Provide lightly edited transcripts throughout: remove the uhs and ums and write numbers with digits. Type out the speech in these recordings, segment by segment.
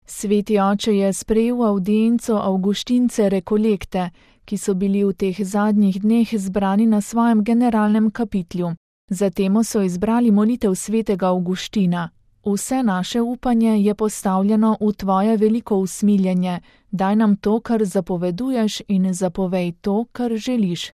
Sveti oče je sprejel avdienco Avguštince Rekolekte, ki so bili v teh zadnjih dneh zbrani na svojem generalnem kapitlju. Zatem so izbrali molitev svetega Avguština. Vse naše upanje je postavljeno v tvoje veliko usmiljenje, daj nam to, kar zapoveduješ, in zapovej to, kar želiš.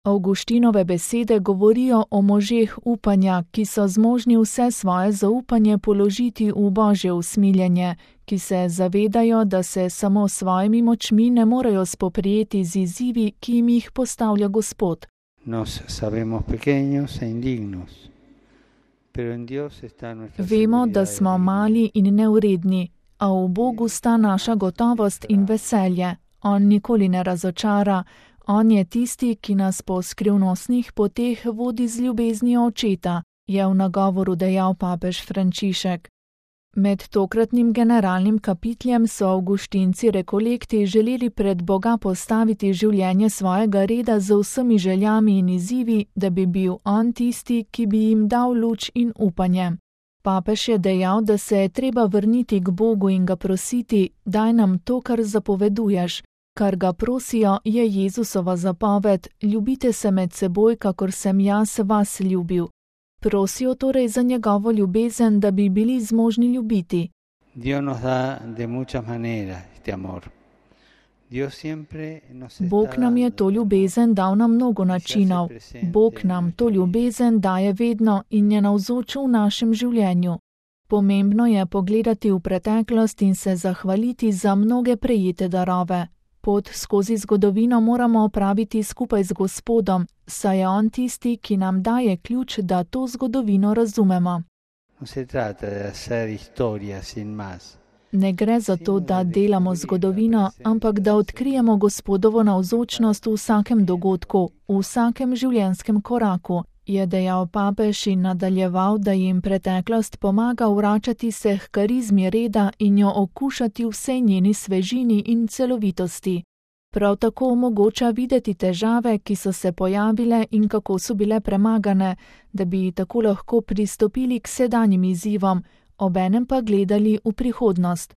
Avguštinove besede govorijo o možeh upanja, ki so zmožni vse svoje zaupanje položiti v Božje usmiljenje, ki se zavedajo, da se samo s svojimi močmi ne morejo spoprijeti z izzivi, ki jim jih postavlja Gospod. Vemo, da smo mali in neuredni, a v Bogu sta naša gotovost in veselje. On nikoli ne razočara. On je tisti, ki nas po skrivnostnih poteh vodi z ljubeznijo očeta, je v nagovoru dejal papež Frančišek. Med tokratnim generalnim kapitljem so Avguštinci Rekolekti želeli pred Boga postaviti življenje svojega reda z vsemi željami in izzivi, da bi bil on tisti, ki bi jim dal luč in upanje. Papež je dejal, da se je treba vrniti k Bogu in ga prositi, daj nam to, kar zapoveduješ. Kar ga prosijo, je Jezusova zapoved, ljubite se med seboj, kakor sem jaz vas ljubil. Prosijo torej za njegovo ljubezen, da bi bili zmožni ljubiti. Bog nam je to ljubezen dal na mnogo načinov. Bog nam to ljubezen daje vedno in je navzoč v našem življenju. Pomembno je pogledati v preteklost in se zahvaliti za mnoge prejete darove. Pot skozi zgodovino moramo opraviti skupaj z Gospodom, saj je on tisti, ki nam daje ključ, da to zgodovino razumemo. Ne gre za to, da delamo zgodovino, ampak da odkrijemo Gospodovo navzočnost v vsakem dogodku, v vsakem življenjskem koraku, je dejal papež in nadaljeval, da jim preteklost pomaga vračati se h karizmi reda in jo okušati v vsej njeni svežini in celovitosti. Prav tako omogoča videti težave, ki so se pojavile in kako so bile premagane, da bi tako lahko pristopili k sedanjim izzivom, obenem pa gledali v prihodnost.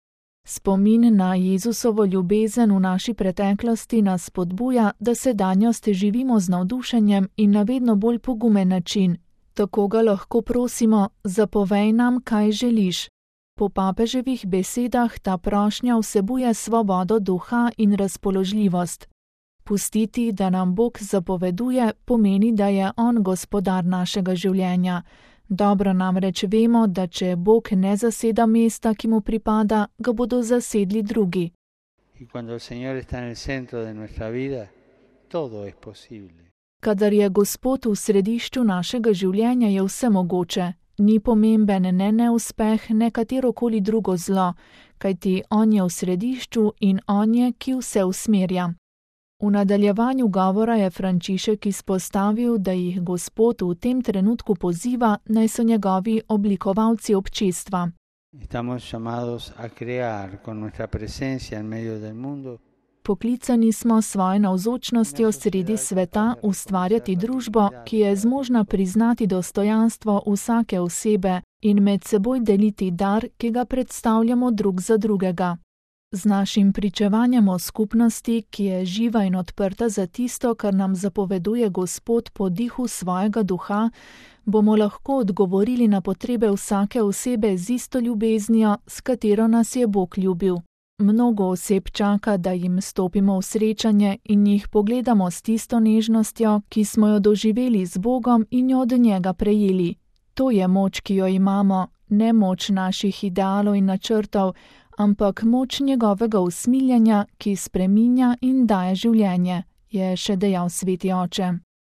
Spomin na Jezusovo ljubezen v naši preteklosti nas spodbuja, da sedanjost živimo z navdušenjem in na vedno bolj pogumen način. Tako ga lahko prosimo, zapovej nam, kaj želiš. Po papeževih besedah ta prošnja vsebuje svobodo duha in razpoložljivost. Pustiti, da nam Bog zapoveduje, pomeni, da je on gospodar našega življenja. Dobro namreč vemo, da če Bog ne zaseda mesta, ki mu pripada, ga bodo zasedli drugi. Kadar je Gospod v središču našega življenja, je vse mogoče. Ni pomemben ne neuspeh, ne katerokoli drugo zlo, kajti on je v središču in on je, ki vse usmerja. V nadaljevanju govora je Frančišek izpostavil, da jih Gospod v tem trenutku poziva, naj so njegovi oblikovalci občestva. Poklicani smo s svojo navzočnostjo sredi sveta ustvarjati družbo, ki je zmožna priznati dostojanstvo vsake osebe in med seboj deliti dar, ki ga predstavljamo drug za drugega. Z našim pričevanjem o skupnosti, ki je živa in odprta za tisto, kar nam zapoveduje Gospod po dihu svojega duha, bomo lahko odgovorili na potrebe vsake osebe z isto ljubeznijo, s katero nas je Bog ljubil. Mnogo oseb čaka, da jim stopimo v srečanje in jih pogledamo s tisto nežnostjo, ki smo jo doživeli z Bogom in jo od njega prejeli. To je moč, ki jo imamo, ne moč naših idealov in načrtov, ampak moč njegovega usmiljenja, ki spreminja in daje življenje, je še dejal sveti oče.